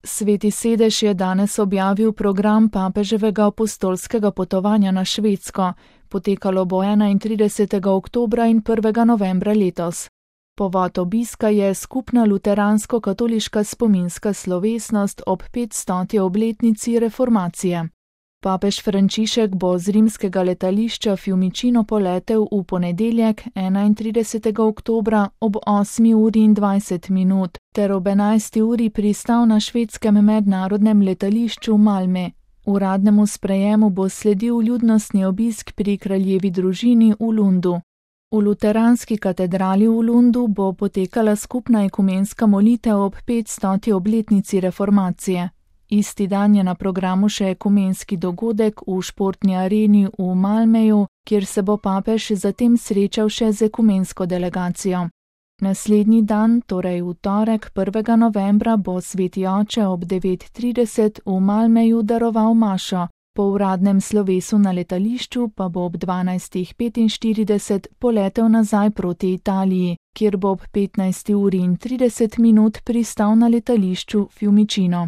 Sveti sedež je danes objavil program papeževega apostolskega potovanja na Švedsko. Potekalo bo 31. oktobra in 1. novembra letos. Povod obiska je skupna luteransko-katoliška spominska slovesnost ob 500. obletnici reformacije. Papež Frančišek bo z rimskega letališča Fiumicino poletel v ponedeljek 31. oktobra ob 8:20 ter ob 11. pristal na švedskem mednarodnem letališču Malmö. Uradnemu sprejemu bo sledil ljudnostni obisk pri kraljevi družini v Lundu. V luteranski katedrali v Lundu bo potekala skupna ekumenska molitev ob 500. obletnici reformacije. Isti dan je na programu še ekumenski dogodek v športni areni v Malmöju, kjer se bo papež zatem srečal še z ekumensko delegacijo. Naslednji dan, torej v torek 1. novembra, bo sveti oče ob 9:30 v Malmöju daroval mašo, po uradnem slovesu na letališču pa bo ob 12:45 poletel nazaj proti Italiji, kjer bo ob 15:30 pristal na letališču Fiumicino.